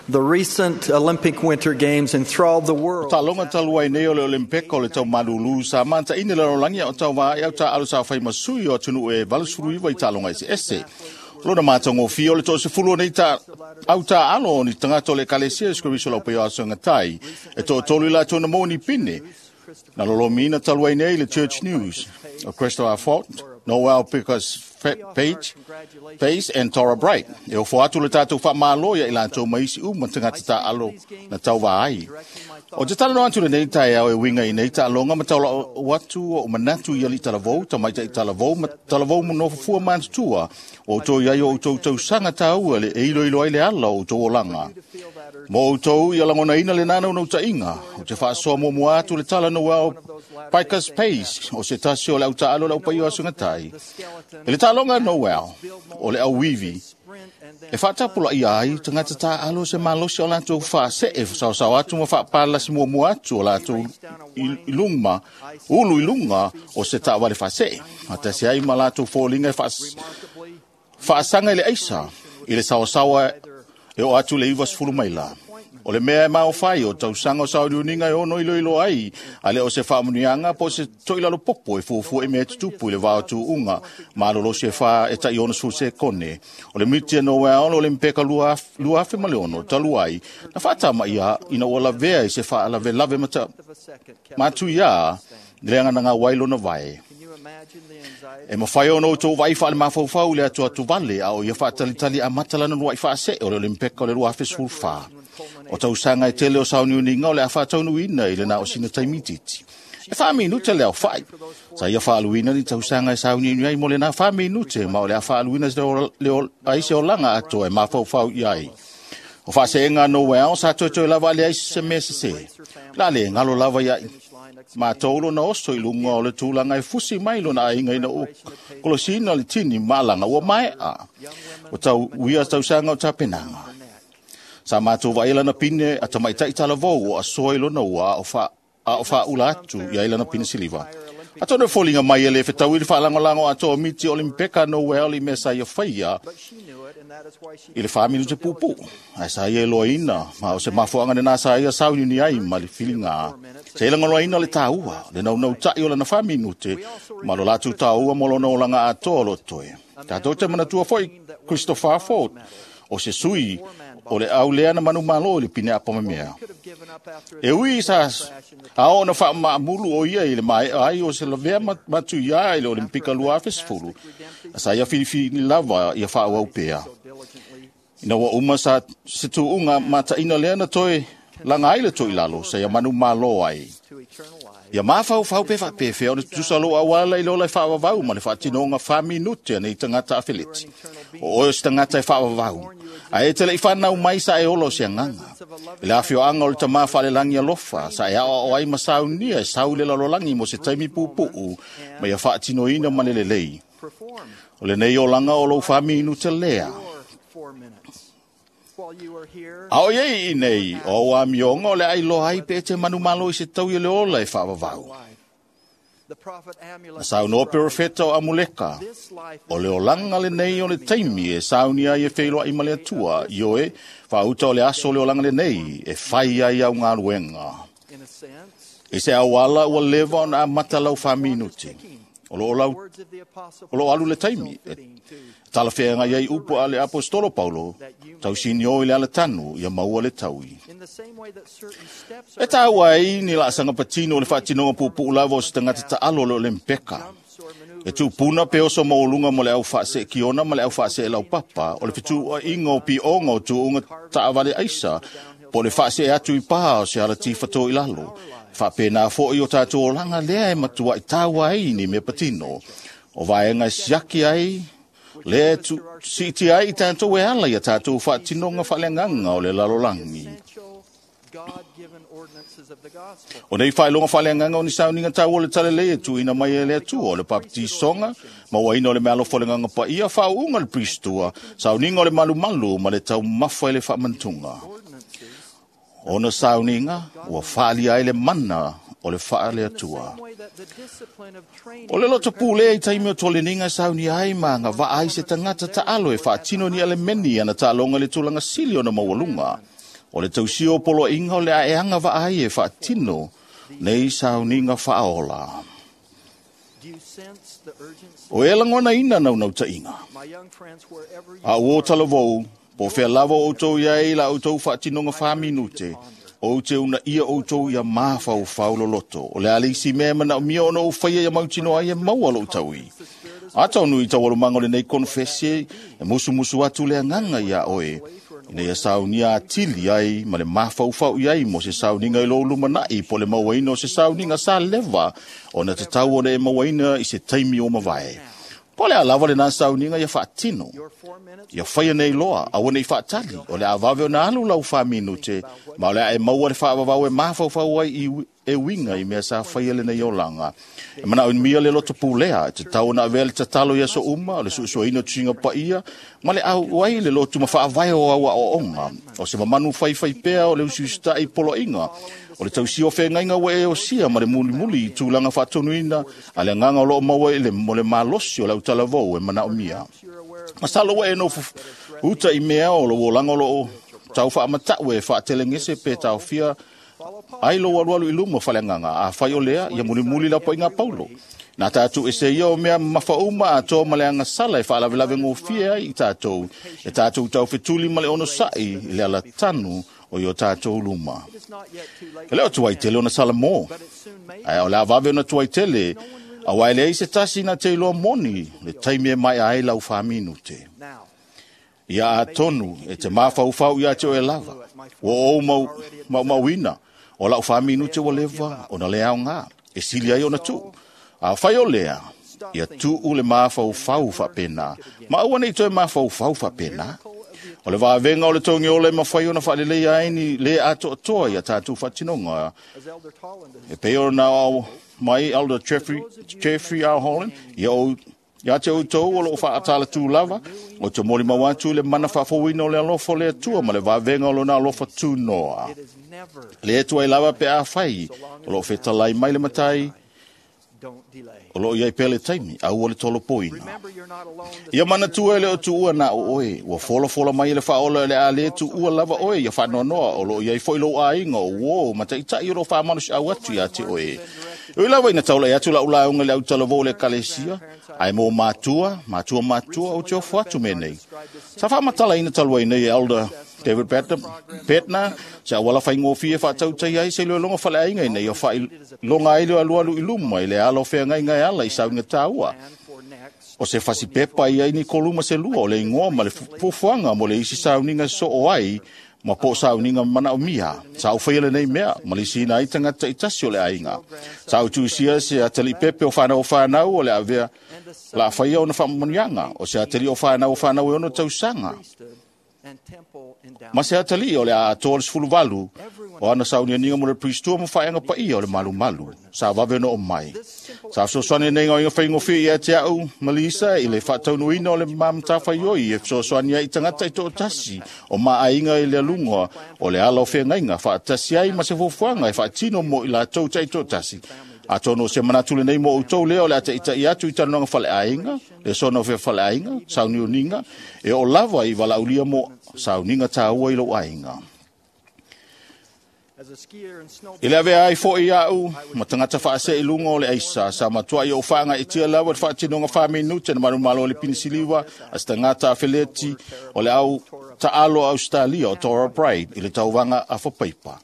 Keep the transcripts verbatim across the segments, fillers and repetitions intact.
The recent Olympic Winter Games enthralled the world. Taaloga talu ai nei o le Olimpeka o le taumalūlū sa mataʻina le lalolagi a o tauvā au taaalo sa fai ma sui o atunuu e valusefuluiva i taaloga eseese. Lona matagofie o le toasefulu o nei ta au taaalo o ni tagata o le Ekalesia Iesu Keriso lau paia asogatai e toatolu i latou na maua ni pine. Na lolomiina talu ai nei le Church News o Christopher Fort, Noel Pickers Page, Pace and Tora Bright. E ofo atu le tatou faamālō ia i latou ma isi uma tagata taaalo na tauvā ai. O te talanoa atu lenei taeao e uiga i nei taaloga ma taula'u atu o manatu i alii talavou, tamaita'i talavou ma talavou nofofua matutua o outou i ai o outou tausaga taua le e iloilo ai le ala o outou olaga. Mo outou ia lagonaina le nanaunautāiga, o te faasoa muamua atu le tala Noel Pikus Pace o se tasi o le autaalo le aupaia o asugatai. E le taaloga Noel o le auivi e faatapulaia ai tagata taaalo se malosi o latou faasee saosao atu ma faapalasi muamua atu o latou i luma ulu i luga o se taavale faasee. Atasi ai ma latou foliga e faasaga i le aisa i le saosaoa e oo atu le ivasefulu maila. O le mea e maofai o tausaga o sauniuniga e ono iloilo ai a le o se faamuniaga po o se toʻilalo popo e fuafua i mea e tutupu i le va o tuuga malolosi e fā e taʻi onosefulu sekone. O le miti e Noel o le Mpeka lua afe ma le ono talu ai na faatamaia ina ua lavea i se faalavelave matuiā le aganaga ai lona vae. E mafai ona outou vaai faale-mafaufau i le atuatu vale a o ia faatalitali amata lana luaʻi faasee o le Olimpeka o le lua afe sefulufa. O tausaga e tele o sauniuniga o le a faataunuuina i lena o sina taimititi. E faaminute le aofaʻi. Sa ia faaluina ni tausaga e sauniuni ai mo lena faaminute ma o le a faaluina ai se olaga atoa e mafaufau i ai. O faaseega Noel sa toetoe lava ale ai se mea sesē. La le galo lava iaʻi matou lona oso i luga o le tulaga e fusi mai lona aiga ina ua kolosina le tini ma alaga ua maeʻa. O tauia tausaga o tapenaga. Sa matou vaai lana pine a tamaitaʻi talavou o asoa i lona ua a o faaula atu i ai lana pine siliva. Atonu e foliga mai e lē fetaui le faalagolago atoa o miti Olimpeka Noel i mea sa ia faia i le fa minute puupuu. Ae sa ia iloaina ma o se mafuaaga lenā sa ia sauniuni ai ma le filigā. Sa ia lagolaina le tāua, le naunautaʻi o lana fa minute ma lo latou tāua mo lona olaga atoa o lo toe. Tatou te manatua foʻi Christopher Ford o se sui o le au lea na manumalo i le pine apamamea. E ui sa ao na faamaamulu o ia i le maeʻa ai o se lavea matuiā i le Olimpika lua afe sefulu. Sa ia filifili lava ia faaauau pea. Ina ua uma sa se tuuga mataʻina lea na toe laga ai le toʻilalo sa ia manumalo ai. Ia mafaufau pe faapefea ona tutusa lou auala i le ola e faavavau ma le faatinoga fa minute a nei tagata afeleti. O oe o se tagata e faavavau, ae e te leʻi fanau mai sa e ola o se agaga. I le afioaga o le tamā faalelagi alofa, sa e aoao ai ma saunia e sau i le lalolagi mo se taimi pupuu ma ia faatinoina ma le lelei. O lenei olaga o lou fa minute lea. A o iai i nei, o au amioga o le ailoa ai pe e te manumalo i se taui o le ola e faavavau. Na saunoa perofeta o Amuleka, o le olaga lenei o le taimi e sauni ai e feiloaʻi ma le Atua, ioe, faauta o le aso o le olaga lenei e fai ai au galuega. I se auala ua leva ona amata lau faaminute. O loo lau o loo alu le taimi e talafeagai ai upu a le apostolo Paulo, tausinio i le alatanu ia maua le taui. E tāua ai ni laasaga patino o le faatinoga puupuu lava o se tagata taalo o le Olimpeka. E tupuna pe oso maualuga mo le au faaseekiona ma le au faasee laupapa o le fetuuaiga o pioga o tuuga taavale aisa po o le faasee atu i pā o se alati fatō i lalo. Faapena foʻi o tatou olaga lea e matuaʻi taua ai ni mea patino. O vaega e siaki ai lea e siitia ai i tatou e ala ia tatou faatinoga faaleagaga o le lalolagi. O nei faailoga faaleagaga o ni sauniga taua o le talalei e tuuina mai e le Atua o le papatisoga, mauaina o le mealofo o le Agaga Paia, faauuga le pristua, sauniga o le malumalu ma le taumafa i le faamantuga. Ona sauniga ua faalia ai le mana o le faale Atua. O le loto pulea i taimi o toleniga e saunia ai ma agavaa ai se tagata taalo e faatino ni alemeni ana taaloga i le tulaga sili ona maualuga. O le tausia o poloaiga o le aeaga vaai e faatino nei sauniga faaola. O e lagonaina naunautaiga. A ua o talavou, po fea lava o outou i ai la outou faatinoga faaminute, ou te una ia outou ia mafaufau loloto. O le a le isi mea e manaomia ona ou faia ia mautinoa ai e maua lou taui. Atonu i taualumaga o lenei konofesi e musumusu atu le agaga iā oe, ina ia saunia atili ai ma le mafaufau i ai mo se sauniga i lou lumanai po le mauaina o se sauniga sa leva ona tatau ona e mauaina i se taimi o mavae. Po o le a lava lena sauniga ia faatino, ia faia nei loa, aua nei faatali, o le a vave ona alu lau faaminute, ma o le a e maua le faavavau e mafaufau ai i e uiga i mea sa faia lenei olaga. E manaomia le loto pulea, e tatau ona avea le tatalo i aso uma, o le suesueina o tusiga paia, ma le auai le lotu ma faavae o au aoaoga, o se mamanu faifai pea o le usiusitai poloaiga, o le tausia o feagaiga ua e osia ma le mulimuli i tulaga faatonuina a le agaga o loo maua i le mo le malosi o le autalavou e manaomia. Masalo ua e nofo uta i mea o lou olaga o loo tau faamatau e faatelegese pe taofia ai lou alualu i luma faleagaga, a fai o lea, ia mulimuli la paʻiga Paulo. Na tatou ese ia o mea mafauma atoa ma le agasala e faalavelave gofie ai i tatou, e tatou taufetuli ma le onosaʻi i le alatanu o i o tatou luma. E le o tuai tele ona salamo, ae o le a vave ona tuai tele, auā e leai se tasi na te iloa moni le taimi e maea ai lau faaminute. Ia atonu e te mafaufau ia te oe lava, ua ou mau, maumauina, o lau faaminute ua leva ona le aogā, e sili ai ona tuu. A fai o lea, ia tuu le mafaufau faapena, ma aua nei toe mafaufau faapena. O le vavega o le togiola e mafai ona faaleleia ai ni le atoatoa ia tatou faatinoga. E pei ona ao mai Elder Jeffrey, Jeffrey R. Holland, ia ou ia te outou o loo faatalatu lava, o te molimau atu i le mana faafouina o le alofa o le Atua ma le vavega o lona alofa tunoa. Le atu ai lava pe afai o loo fetalai mai le matai, o loo iai pea le taimi, aua le tolopoina. Ia manatua e le o tuua na o oe, ua folafola mai e le faaola le a le tuua lava oe ia faanoanoa, o loo iai foi lou aiga o uō ma taʻitaʻi o loo faamalosiau atu ia te oe. Ui lava ina taulai atu lau lauga i le autalavou o le ekalesia, ae mo matua, matua matua ou te ofo atu mea nei. Sa faamatalaina talu ai nei e Elder David Bednar, se auala faigofie faatautai ai se iloiloga faleaiga ina ia faailoga ai le alualu i luma i le ala o feagaiga e ala i sauniga taua. O se fasipepa i ai ni tolu ma se lua o le igoa ma le fuafuaga mo le isi sauniga e soo ai ma po o sauniga manaomia. Sa ou faia lenei mea ma lisiina ai tagata taitasi o le aiga. Sa ou tuusia se ataliʻipepe o fanau o fanau o le avea la faia ona faamanuiaga, o se atalii o fanau o fanau e ono tausaga. Ma se atalii o le a atoa le sefuluvalu o ana saunianiga mo le pristua ma faeaga paia o le malumalu. Sa vave ona oo mai. Sa fesoasoani lenei gaoiga faigofie ia te au ma Lisa i le faataunuina o le ma matafaioi e fesoasoani ai i tagata i toatasi o maaiga i le aluga o le ala o feagaiga faatasi ai ma se fuafuaga e faatino mo i latou taitoatasi. Atonu o se manatu lenei mo outou lea o le a taʻitaʻi atu i talanoaga faleaiga, le sona o fea faleaiga, sauniuniga, e oo lava i valaaulia mo sauniga taua i lou aiga. I le avea ai foi au ma tagata faasee i luga o le aisa, sa matuai ou faagaeetia lava le faatinoga faaminute na manumalo o le pinisiliva a se tagata afeleti o le au taalo a Ausetalia o Torah Bright i le tauvaga afapaipa.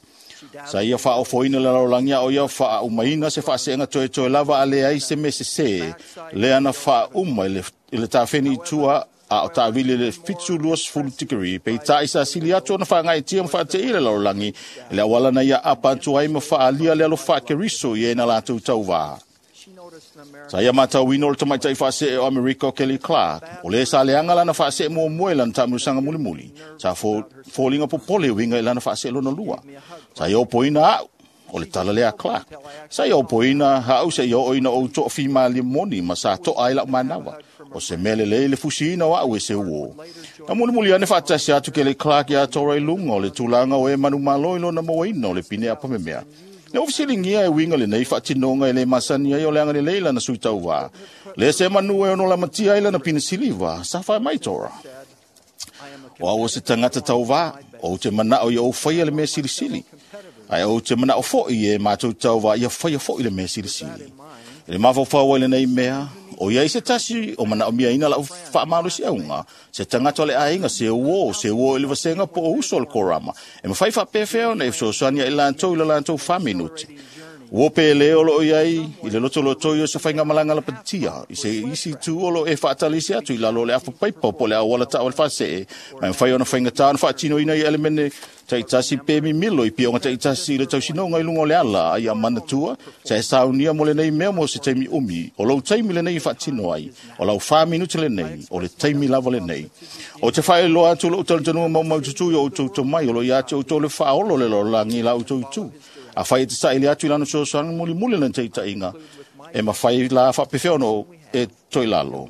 Sa ia faaofoina le lalolagi a o ia faaumaina se faaseega toetoe lava a leai se mea sesē lea na faauma i le, i le tafeni i tua a o taavili i le fitu luasefulu tikeri, peitai sa sili atu ona faagaeetia ma faateia le lalolagi i le auala na ia apa atu ai ma faaalia le alofa a Keriso i e na latou tauvā. Sa ia matauina o le tamaitaʻi faasee o Amerika o Kelly Clark, o le sa leaga lana faasee muamua i lana taamilosaga mulimuli, sa foliga popole e uiga i lana faasee lona lua. Sa ia opoina au, o le tala lea a Clark. Sa ia opoina au seia oo ina ou toafimalie moni ma sa toa ai lau manava. O se mea lelei le fusiina o au e se uō. Na mulimuli ane faatasi atu Kelly Clark iā Tora i luga o le tulaga o e manumalo i lona mauaina o le pine apamemea. Le ua fesiligia e uiga lenei faatinoga e le masani ai o le agalelei lana sui tauvā. Le se manu e ono lamatia ai lana pine siliva, sa faimai Tora. O au o se tagata tauvā, Ou te manao ia ou faia le mea silisili. Ae ou te manao foi e matou tauva ia faia foi le mea silisili. I le mafaufau ai lenei mea, o iai se tasi o manaomiaina lau faamalosiauga, se tagata o le aiga, se uō, se uō i le vasega po o uso o le korama, e mafai faapefea ona e fesoasoani ia i latou i le latou fa minute. Ua pe le o loo iai i le loto lotoi o se faigamalaga lapatia i se isi itu o loo e faatalisi atu i lalo o le afa paipa po o le auala taavale faasee, ma e mafai ona faigata ona faatinoina i elemene taitasi pe mimilo i pioga taitasi i le tausinoga i luga o le ala, a ia manatua sa e saunia mo lenei mea mo se taimi umi. O lou taimi lenei e faatino ai, o lau fa minute lenei, o le taimi lava lenei. O te faailoa atu lou talitonuga maumaututu i o outou tomai o lo o ia te outou le faaolo o le lalolagi i la outou itu. Afai e te saili atu i lana fesoasoani mulimuli lana taitaiga, e mafai la faapefea ona e toe lalo.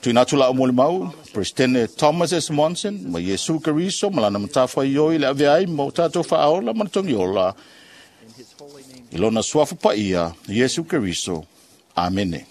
Tuuina atu lau molimau, Presidente Thomas S. Monson ma Iesu Keriso ma lana matafaioi le avea ai ma o tatou faaola ma le togiola i lona suafa paia, Iesu Keriso. Amene.